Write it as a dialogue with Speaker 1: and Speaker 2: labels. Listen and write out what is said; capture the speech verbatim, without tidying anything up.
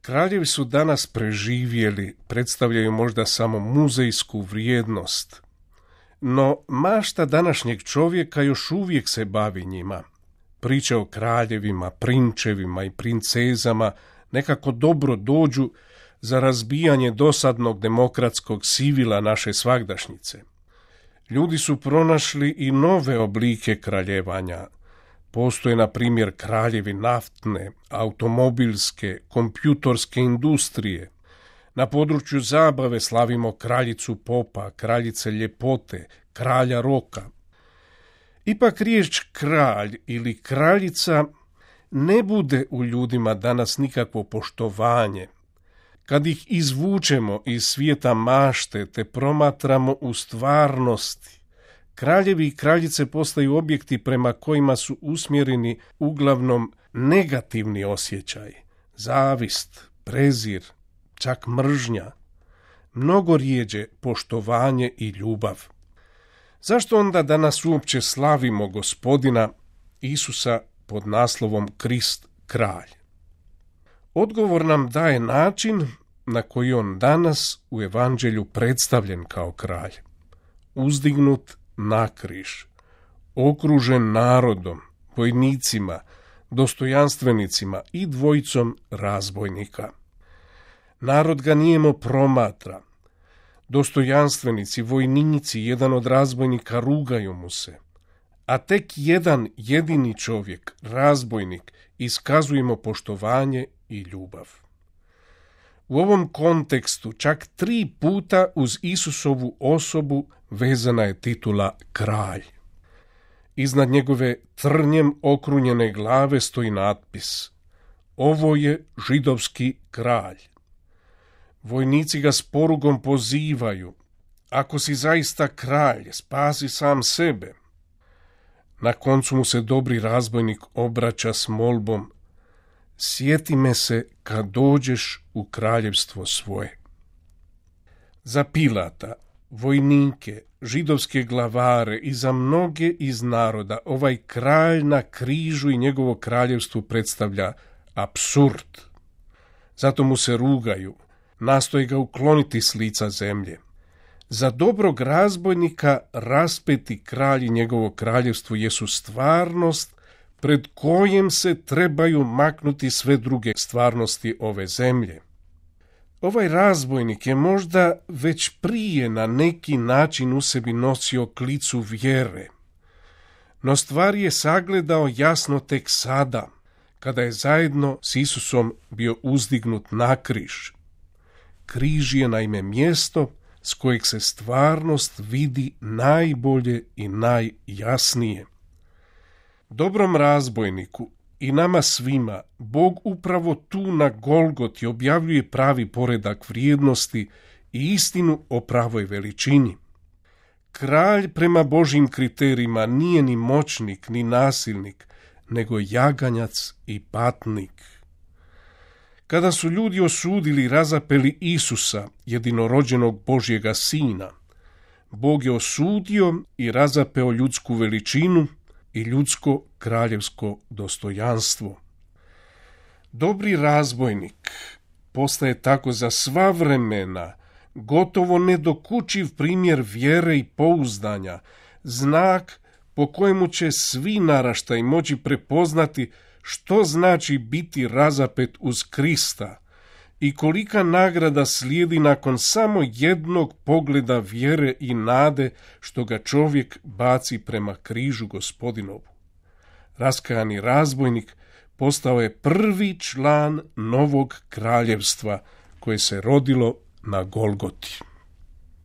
Speaker 1: Kraljevi su danas preživjeli, predstavljaju možda samo muzejsku vrijednost, no mašta današnjeg čovjeka još uvijek se bavi njima. Priče o kraljevima, prinčevima i princezama nekako dobro dođu za razbijanje dosadnog demokratskog sivila naše svagdašnjice. Ljudi su pronašli i nove oblike kraljevanja. Postoje, na primjer, kraljevi naftne, automobilske, kompjutorske industrije. Na području zabave slavimo kraljicu popa, kraljice ljepote, kralja roka. Ipak riječ kralj ili kraljica ne bude u ljudima danas nikakvo poštovanje. Kad ih izvučemo iz svijeta mašte te promatramo u stvarnosti, kraljevi i kraljice postaju objekti prema kojima su usmjereni uglavnom negativni osjećaj, zavist, prezir, čak mržnja, mnogo rijeđe poštovanje i ljubav. Zašto onda danas uopće slavimo Gospodina Isusa pod naslovom Krist kralj? Odgovor nam daje način na koji on danas u evanđelju predstavljen kao kralj. Uzdignut na križ, okružen narodom, vojnicima, dostojanstvenicima i dvojicom razbojnika. Narod ga nijemo promatra. Dostojanstvenici, vojnici, jedan od razbojnika rugaju mu se. A tek jedan jedini čovjek, razbojnik, iskazujemo poštovanje i ljubav. U ovom kontekstu čak tri puta uz Isusovu osobu vezana je titula kralj. Iznad njegove trnjem okrunjene glave stoji natpis: ovo je židovski kralj. Vojnici ga s porugom pozivaju: ako si zaista kralj, spasi sam sebe. Na koncu mu se dobri razbojnik obraća s molbom: sjeti me se kad dođeš u kraljevstvo svoje. Za Pilata, vojnike, židovske glavare i za mnoge iz naroda ovaj kralj na križu i njegovo kraljevstvo predstavlja apsurd. Zato mu se rugaju, nastoje ga ukloniti s lica zemlje. Za dobrog razbojnika raspeti kralj i njegovo kraljevstvo jesu stvarnost pred kojem se trebaju maknuti sve druge stvarnosti ove zemlje. Ovaj razbojnik je možda već prije na neki način u sebi nosio klicu vjere, no stvar je sagledao jasno tek sada, kada je zajedno s Isusom bio uzdignut na križ. Križ je naime mjesto s kojeg se stvarnost vidi najbolje i najjasnije. Dobrom razbojniku i nama svima Bog upravo tu na Golgoti objavljuje pravi poredak vrijednosti i istinu o pravoj veličini. Kralj prema Božjim kriterijima nije ni moćnik, ni nasilnik, nego jaganjac i patnik. Kada su ljudi osudili i razapeli Isusa, jedinorođenog Božjega sina, Bog je osudio i razapeo ljudsku veličinu i ljudsko kraljevsko dostojanstvo. Dobri razbojnik postaje tako za sva vremena gotovo nedokučiv primjer vjere i pouzdanja, znak po kojemu će svi naraštaji moći prepoznati što znači biti razapet uz Krista i kolika nagrada slijedi nakon samo jednog pogleda vjere i nade što ga čovjek baci prema križu Gospodinovu. Raskajani razbojnik postao je prvi član novog kraljevstva koje se rodilo na Golgoti.